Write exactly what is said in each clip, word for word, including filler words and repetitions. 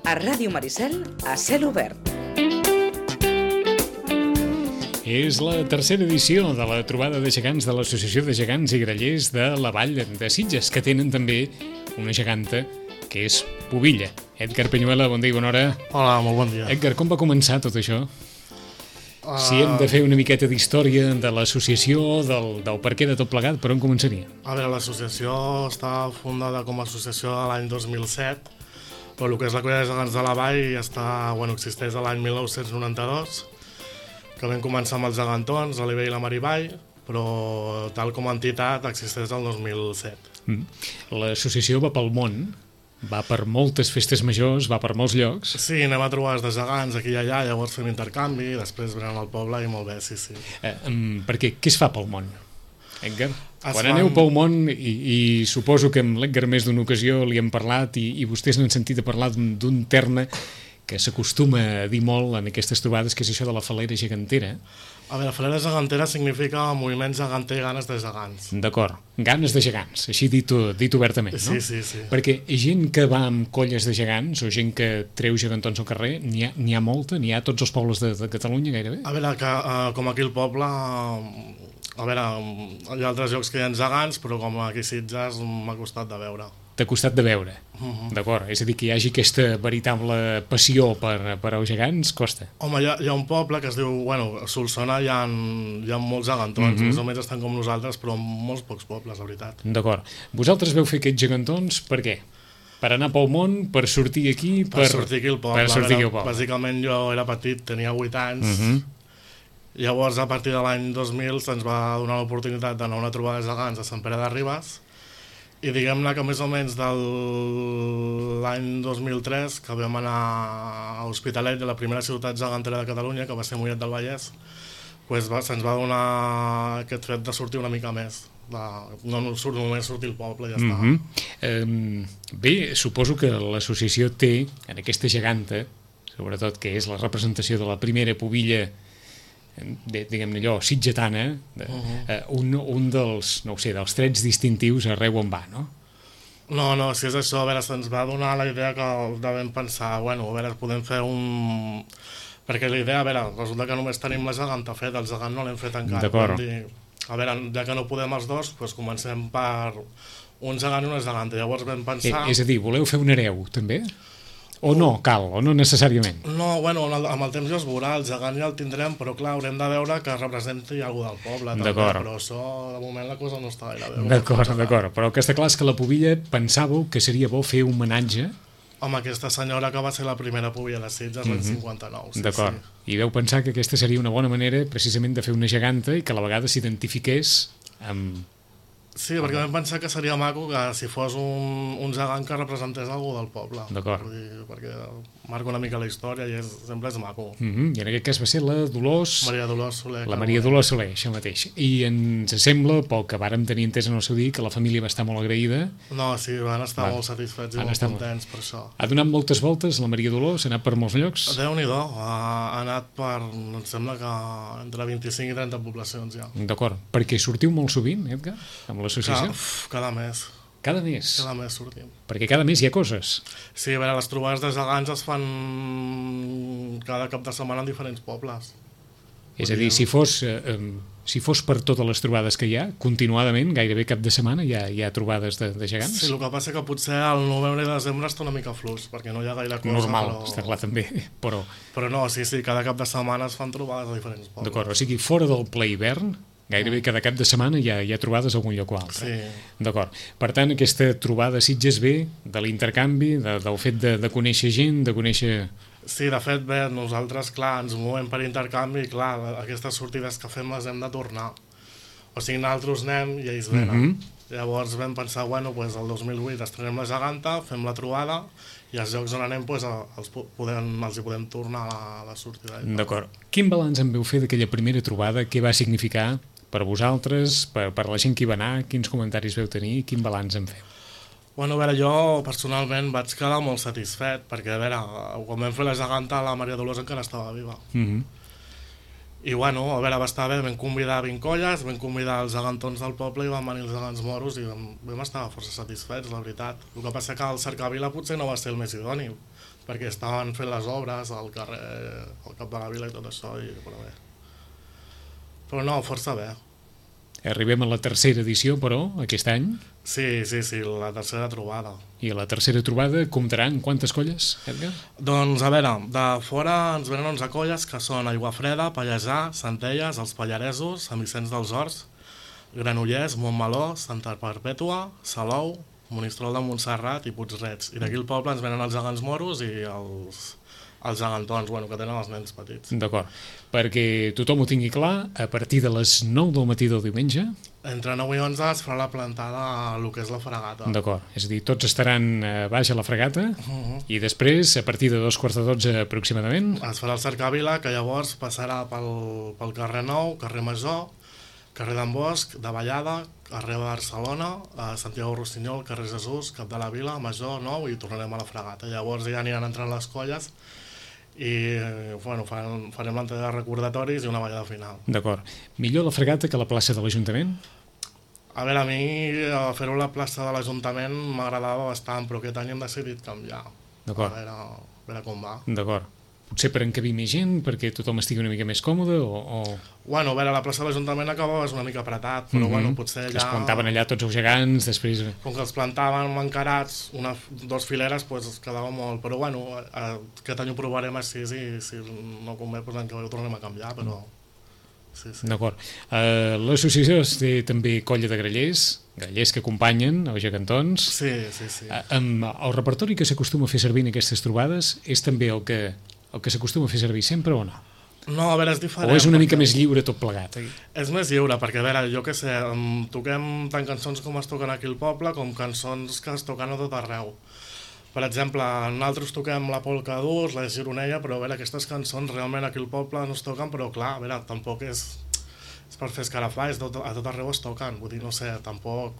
A Ràdio Maricel, a cel obert. És la tercera edició de la trobada de gegants de l'Associació de Gegants i Grallers de la Vall de Sitges, que tenen també una geganta que és pubilla. Edgar Peñuela, bon dia i bona hora. Hola, molt bon dia. Edgar, com va començar tot això? Uh... Si hem de fer una miqueta d'història de l'associació, del, del per què de tot plegat, per on començaria? A veure, l'associació està fundada com a associació l'any dos mil set, però el que és la Colla de Gegants de la Vall està, bueno, existeix a l'any mil nou-cents noranta-dos, que vam començar amb els gegantons, l'Oliver i la Marivall, però tal com a entitat existeix el dos mil set. Mm. L'associació va pel món, va per moltes festes majors, va per molts llocs. Sí, anem a trobar de gegants aquí i allà, llavors fem intercanvi, després venen al poble i molt bé, sí, sí. Eh, um, perquè què es fa pel món, Edgar? Es Quan fan... aneu pel món, i, i suposo que amb l'Edgar més d'una ocasió li hem parlat i, i vostès n'han sentit a parlar d'un terme que s'acostuma a dir molt en aquestes trobades, que és això de la falera gegantera. A veure, falera gegantera significa moviment geganter, ganes de gegants. D'acord, ganes de gegants, així dit, dit obertament, no? Sí, sí, sí. Perquè gent que va amb colles de gegants o gent que treu gegantons al carrer, n'hi ha, n'hi ha molta, n'hi ha a tots els pobles de, de Catalunya gairebé? A veure, que, uh, com aquí al poble, uh, a veure, hi ha altres llocs que hi ha gegants, però com aquí a Sitges m'ha costat de veure. T'ha costat de veure, uh-huh. D'acord, és a dir, que hi hagi aquesta veritable passió per, per als gegants, costa. Home, hi ha, hi ha un poble que es diu, bueno, a Solsona hi ha, hi ha molts gegantons, uh-huh. Més o menys estan com nosaltres, però en molts pocs pobles, la veritat. D'acord. Vosaltres veu fer aquests gegantons per què? Per anar pel món, per sortir aquí? Per, per sortir aquí al poble. Per sortir aquí al poble. Bàsicament jo era petit, tenia vuit anys, uh-huh. Llavors a partir de l'any dos mil se'ns va donar l'oportunitat d'anar a una trobada de gegants a Sant Pere de Ribes, i diguem-ne que més o menys de l'any dos mil tres, que vam anar a Hospitalet, la primera ciutat gegantera de Catalunya, que va ser Mollet del Vallès, pues se'ns va donar aquest fet de sortir una mica més. De, no surt, només sortir al poble i ja està. Mm-hmm. eh, bé, suposo que l'associació té, en aquesta geganta, sobretot que és la representació de la primera pubilla, de, diguem-ne allò, sitgetana, de, uh-huh. eh, un, un dels, no ho sé, dels trets distintius arreu on va, no? No, no, si és això, a veure, se'ns va donar la idea que devem pensar, bueno, a veure, podem fer un... Perquè la idea, a veure, resulta que només tenim la geganta feta, el gegant no l'hem fet encara. D'acord. Dir, a veure, ja que no podem els dos, doncs comencem per un gegant i una geganta. Llavors vam pensar... Eh, és a dir, voleu fer un hereu, també? O no cal, o no necessàriament? No, bueno, amb el temps ja es veurà, el gegant ja el tindrem, però clar, haurem de veure que representi algú del poble, també, però això, de moment, la cosa no està gaire bé. D'acord, d'acord, però el que està clar és que la pubilla pensàveu que seria bo fer un homenatge amb aquesta senyora que va ser la primera pubilla de Sitges, l'any cinquanta-nou. Sí, d'acord, sí. I veu pensar que aquesta seria una bona manera precisament de fer una geganta i que a la vegada s'identifiqués amb... Sí, perquè vam pensar que seria maco que si fos un, un gegant que representés algú del poble. D'acord. Perquè marca una mica la història i és, sempre és maco. Mm-hmm. I en aquest cas va ser la Dolors... Maria Dolors Soler. La Maria Dolors Soler, això mateix. I ens sembla, pel que vàrem tenir entès en el seu dia, que la família va estar molt agraïda. No, sí, van estar va. molt satisfets i van molt contents molt... per això. Ha donat moltes voltes la Maria Dolors? Ha anat per molts llocs? Déu-n'hi-do, ha, ha anat per, em sembla que entre vint-i-cinc i trenta poblacions ja. D'acord. Perquè sortiu molt sovint, Edgar, amb l'associació? Cada mes. Cada mes? Cada mes sortim. Perquè cada mes hi ha coses. Sí, a veure, les trobades de gegants es fan cada cap de setmana en diferents pobles. És a dir, si fos, eh, si fos per totes les trobades que hi ha, continuadament, gairebé cap de setmana hi ha, hi ha trobades de, de gegants? Sí, el que passa que potser al novembre i desembre està una mica fluix, perquè no hi ha gaire cosa. Normal, però... està clar també, però... Però no, sí, sí, cada cap de setmana es fan trobades a diferents pobles. D'acord, o sigui, fora del ple hivern, gairebé cada cap de setmana hi ha, hi ha trobades a algun lloc o altre. Sí. D'acord. Per tant, aquesta trobada a Sitges ve de l'intercanvi, de, del fet de, de conèixer gent, de conèixer... Sí, de fet, bé, nosaltres, clar, ens movem per intercanvi i, clar, aquestes sortides que fem les hem de tornar. O sigui, nosaltres anem i ells venen. Mm-hmm. Llavors vam pensar, bueno, pues, el dos mil vuit estrenem la geganta, fem la trobada i els llocs on anem pues, els, podem, els hi podem tornar a la, a la sortida. D'acord. Quin balanç en veu fer d'aquella primera trobada? Què va significar per vosaltres, per, per la gent que hi va anar? Quins comentaris veu tenir? Quin balanç en feu? Bueno, a veure, jo personalment vaig quedar molt satisfet, perquè, a veure, quan vam fer la geganta, la Maria Dolors encara estava viva. Mm-hmm. I, bueno, a veure, va estar bé, vam convidar vint colles, vam convidar els gegantons del poble i van venir els gegants moros i vam, vam estar força satisfets, la veritat. El que passa que el cercavila potser no va ser el més idoni, perquè estaven fent les obres al carrer, al cap de la vila i tot això, i, però bé. Però no, força bé. Arribem a la tercera edició, però, aquest any. Sí, sí, sí, la tercera trobada. I a la tercera trobada comptaran quantes colles, Edgar? Doncs, a veure, de fora ens venen onze colles, que són Aiguafreda, Pallejà, Centelles, els Pallaresos, Sant Vicenç dels Horts, Granollers, Montmeló, Santa Perpètua, Salou, Monistrol de Montserrat i Puig-reig. I d'aquí al poble ens venen els gegants moros i els, els gegantons, bueno, que tenen els nens petits. D'acord. Perquè tothom ho tingui clar, a partir de les nou del matí del diumenge... Entre nou i onze es farà la plantada a lo que és la fregata. D'acord. És a dir, tots estaran a baix a la fregata uh -huh. i després, a partir de dos quarts de dotze aproximadament... Es farà el cercavila, que llavors passarà pel, pel carrer Nou, carrer Major, carrer d'en Bosch, de Vallada, carrer Barcelona, a Santiago Rossinyol, carrer Jesús, cap de la Vila, Major, Nou, i tornarem a la fregata. Llavors ja aniran entrant les colles i bueno, farem, farem l'entrega de recordatoris i una ballada final. D'acord. Millor la fregata que la plaça de l'Ajuntament? A veure, a mi fer-ho a la plaça de l'Ajuntament m'agradava bastant, però aquest any hem decidit canviar. D'acord. A veure, a veure com va. D'acord. Potser per encabir més gent, perquè tothom estigui una mica més còmode, o... o... Bueno, a veure, la plaça de l'Ajuntament acabava una mica apretat, però mm -hmm. bueno, potser allà... Que es plantaven allà tots els gegants, després... Com que els plantaven encarats, una, dos fileres, doncs es quedava molt... Però bueno, aquest any ho provarem així i si no convé, doncs l'any que ve ho tornem a canviar, però... Sí, sí. D'acord. Uh, L'associació té també colla de grallers, grallers que acompanyen els gegantons. Sí, sí, sí. Uh, amb el repertori que s'acostuma a fer servir en aquestes trobades és també el que... el que s'acostuma a fer servir sempre o no? No, a veure, és diferent. O és una perquè... mica més lliure tot plegat? Eh? És més lliure, perquè a veure, jo què sé, toquem tant cançons com es toquen aquí al poble, com cançons que es toquen a tot arreu. Per exemple, nosaltres toquem la polca d'Urs, la gironella, però a veure, aquestes cançons realment aquí al poble no es toquen, però clar, a veure, tampoc és, és per fer escarafar, és tot, a tot arreu es toquen, vull dir, no sé, tampoc...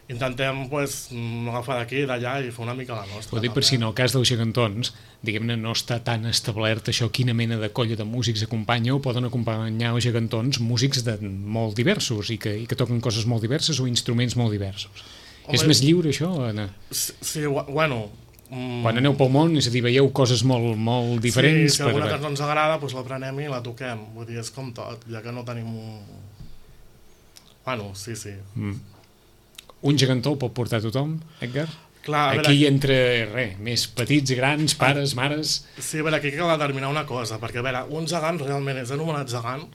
Intentem pues, agafar d'aquí i d'allà i fer una mica la nostra. Ho dic per si en el cas dels gegantons, diguem-ne, no està tan establert això, quina mena de colla de músics acompanya, o poden acompanyar els gegantons músics de molt diversos i que, i que toquen coses molt diverses o instruments molt diversos. Home, és més lliure això, Anna? Sí, sí bueno... Mm... Quan aneu pel món, és a dir, veieu coses molt, molt diferents... Sí, si alguna per... cançó ens agrada, doncs la prenem i la toquem. Vull dir, és com tot, ja que no tenim un... Bueno, sí, sí. Mm. Un gegantó el pot portar tothom, Edgar? Clar, aquí veure, entre, res, més petits, grans, pares, mares... Sí, a veure, aquí cal determinar una cosa, perquè, a veure, un gegant realment és anomenat gegant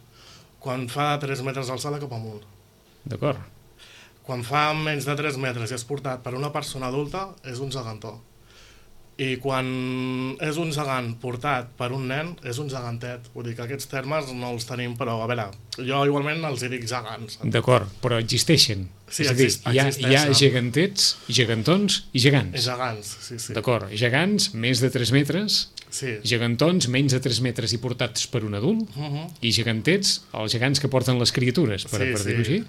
quan fa de tres metres d'alçada cap amunt. D'acord. Quan fa menys de tres metres i és portat per una persona adulta, és un gegantó. I quan és un gegant portat per un nen, és un gegantet. Vull dir que aquests termes no els tenim, però a veure, jo igualment els hi dic gegants. D'acord, però existeixen. Sí, és a dir, exist, hi ha, hi ha gegantets, gegantons i gegants. I gegants, sí, sí. D'acord, gegants, més de tres metres, sí. Gegantons, menys de tres metres i portats per un adult, uh -huh. i gegantets, els gegants que porten les criatures, per, sí, per sí. dir-ho així.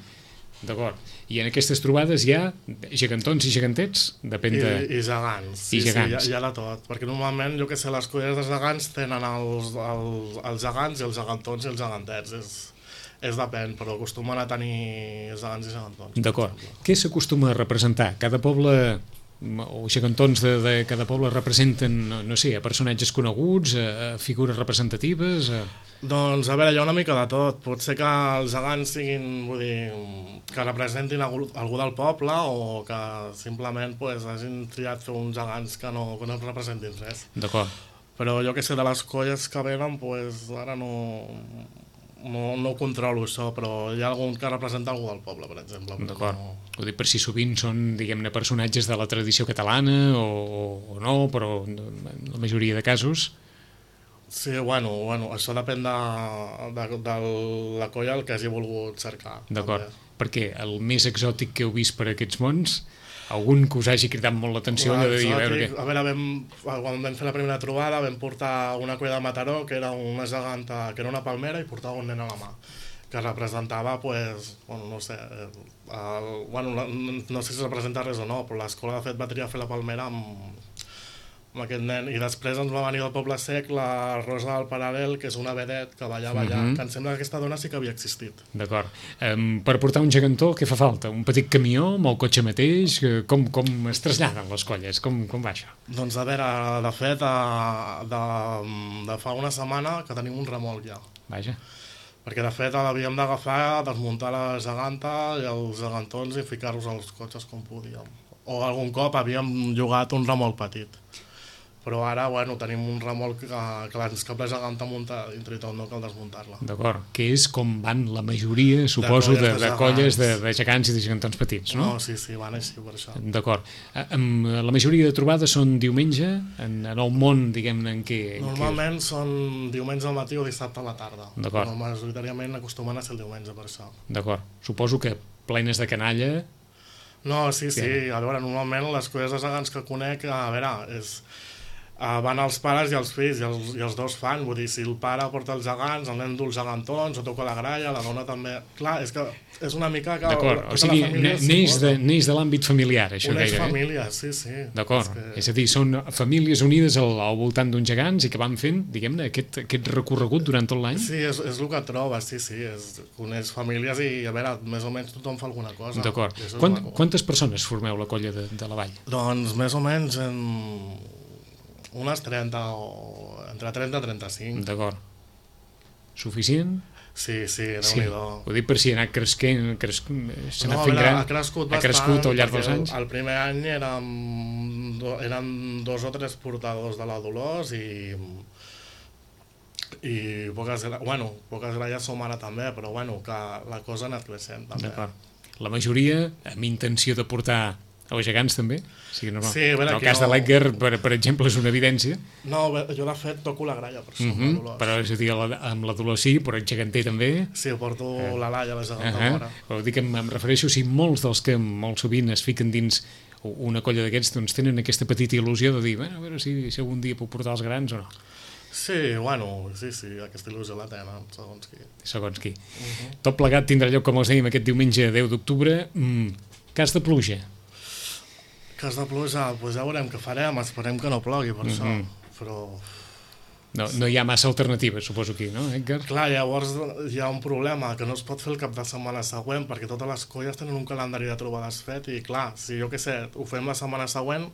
D'acord. I en aquestes trobades hi ha gegantons i gegantets? Depèn de... I, i gegants. Sí, I gegants. Sí, hi ha, hi ha de tot. Perquè normalment, jo que sé, les colles de gegants tenen els, els, els gegants i els gegantons i els gegantets. És, és depèn, però acostumen a tenir gegants i gegantons. D'acord. Què s'acostuma a representar? Cada poble... o gegantons de, de cada poble representen, no, no sé, a personatges coneguts, a, a figures representatives... A... Doncs, a veure, hi ha una mica de tot. Pot ser que els gegants siguin, vull dir, que representin algú, algú del poble o que simplement pues, hagin triat fer uns gegants que no, que no representin res. D'acord. Però jo que sé, de les colles que venen, pues, ara no, no, no controlo això, però hi ha algun que representa algú del poble, per exemple. D'acord. No... Ho dic per si sovint són, diguem-ne, personatges de la tradició catalana o, o no, però en la majoria de casos... Sí, bueno, bueno, això depèn de, de, de la colla el que hagi volgut cercar. D'acord, perquè el més exòtic que heu vist per aquests mons, algun que us hagi cridat molt l'atenció de dir, a veure què... A veure, vam, quan vam fer la primera trobada vam portar una colla de Mataró que era una geganta, que era una palmera i portava un nen a la mà que representava, pues, bueno, no sé, el, bueno, no sé si representa res o no, però l'escola de fet va triar fer la palmera amb amb aquest nen. I després ens va venir del Poble Sec la Rosa del Paral·lel, que és una vedet que ballava allà, Mhm. que em sembla que aquesta dona sí que havia existit. D'acord. Um, per portar un gegantó, què fa falta? Un petit camió amb el cotxe mateix? Eh, Com, com es traslladen les colles? Com, com va això? Doncs a veure, de fet, de, de, de fa una setmana que tenim un remolc ja. Vaja. Perquè de fet l'havíem d'agafar, desmuntar la geganta i els gegantons i ficar-los als cotxes com podíem. O algun cop havíem llogat un remolc petit. Però ara, bueno, tenim un remolc que, que ens cap la geganta munta dintre i tot, no cal desmuntar-la. D'acord. Que és com van la majoria, suposo, de, colles de, de de colles de, gegants. de gegants i de gegantons petits, no? No, sí, sí, van així per això. D'acord. Eh, em, La majoria de trobades són diumenge, en, en el món, diguem-ne, en què... en què- Normalment són diumenge al matí o dissabte a la tarda. D'acord. Però majoritàriament acostumen a ser el diumenge per això. D'acord. Suposo que plenes de canalla... No, sí, sí, Sí. a veure, normalment les colles de gegants que conec, a veure, és... Uh, van els pares i els fills, i els, i els dos fan, vull dir, si el pare porta els gegants, el nen du els gegantons, o toca la gralla, la dona també... Clar, és que és una mica que... D'acord. tota O sigui, la família ne- s'hi neix de, posa. neix de l'àmbit familiar, això Uneix gairebé. família, sí, sí. D'acord. És que- És a dir, són famílies unides al, al voltant d'uns gegants i que van fent, diguem-ne, aquest, aquest recorregut durant tot l'any? Sí, és, és el que trobes, sí, sí, és, coneix famílies i, a veure, més o menys tothom fa alguna cosa. D'acord. I això és Quant, maco. quantes persones formeu la colla de, de la vall? Doncs més o menys en unes trenta o entre trenta i trenta-cinc. D'acord. Suficient? Sí, sí, Sí. déu-n'hi-do. Ho dic per si ha anat cresquent, cres... s'ha anat No, a fent veure, gran, ha crescut ha bastant, crescut al llarg dels perquè anys? El, el primer any érem, do, eren dos o tres portadors de la Dolors i i poques, gra- bueno, poques gralles som ara també, però bueno, que la cosa ha anat creixent també. D'acord. La majoria amb intenció de portar els gegants també? O sigui, no, no. Sí, a veure, en el que cas de jo- l'Edgar, per, per exemple, és una evidència. No, bé, jo de fet toco la gralla per això, Uh amb la -huh. Dolors. Però és a dir, la, amb la Dolors sí, però el geganter també. Sí, porto la Laia, la geganta Uh -huh. fora. Però dic que em, em refereixo, si molts dels que molt sovint es fiquen dins una colla d'aquests doncs tenen aquesta petita il·lusió de dir, bueno, a veure si, si algun dia puc portar els grans o no, Sí, bueno, sí, sí, aquesta il·lusió la tenen, segons qui. segons qui. Uh -huh. Tot plegat tindrà lloc, com els dèiem, aquest diumenge deu d'octubre. Mm, cas de pluja. Cas de pluja, doncs ja veurem què farem, esperem que no plogui per això, Mhm. però... No, no hi ha massa alternatives, suposo, aquí, no, Edgar? Clar, llavors hi ha un problema, que no es pot fer el cap de setmana següent, perquè totes les colles tenen un calendari de trobades fet, i clar, si jo què sé, ho fem la setmana següent,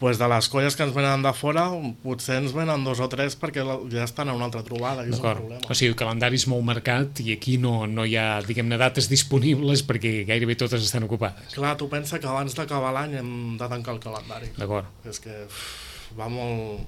doncs de les colles que ens venen de fora, potser ens venen dos o tres perquè la- ja estan a una altra trobada, i és un D'acord. problema. O sigui, el calendari és molt marcat i aquí no, no hi ha, diguem-ne, dates disponibles perquè gairebé totes estan ocupades. Clar, tu pensa que abans d'acabar l'any hem de tancar el calendari. D'acord, És que uf, va molt...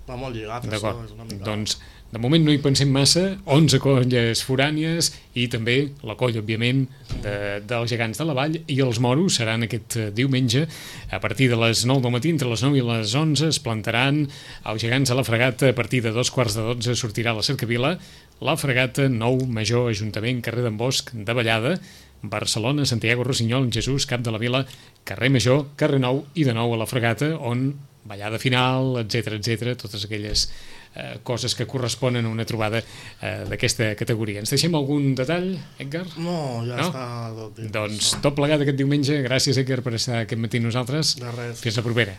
va molt lligat, això, d'acord. és una mica... Doncs, de moment no hi pensem massa, onze colles forànies i també la colla, òbviament, de, dels gegants de la vall, i els moros seran aquest eh, diumenge a partir de les nou del matí, entre les nou i les onze es plantaran els gegants a la fregata, a partir de dos quarts de dotze sortirà la cercavila, la fregata Nou Major Ajuntament, carrer d'en Bosch de Vallada, Barcelona, Santiago Rossinyol, Jesús, Cap de la Vila, carrer Major, carrer Nou i de nou a la fregata, on ballada final, etcètera, etcètera, totes aquelles eh, coses que corresponen a una trobada eh, d'aquesta categoria. Ens deixem algun detall, Edgar? No, ja No? està tot dit. Doncs tot plegat aquest diumenge. Gràcies, Edgar, per estar aquest matí amb nosaltres. De res. Fins la propera.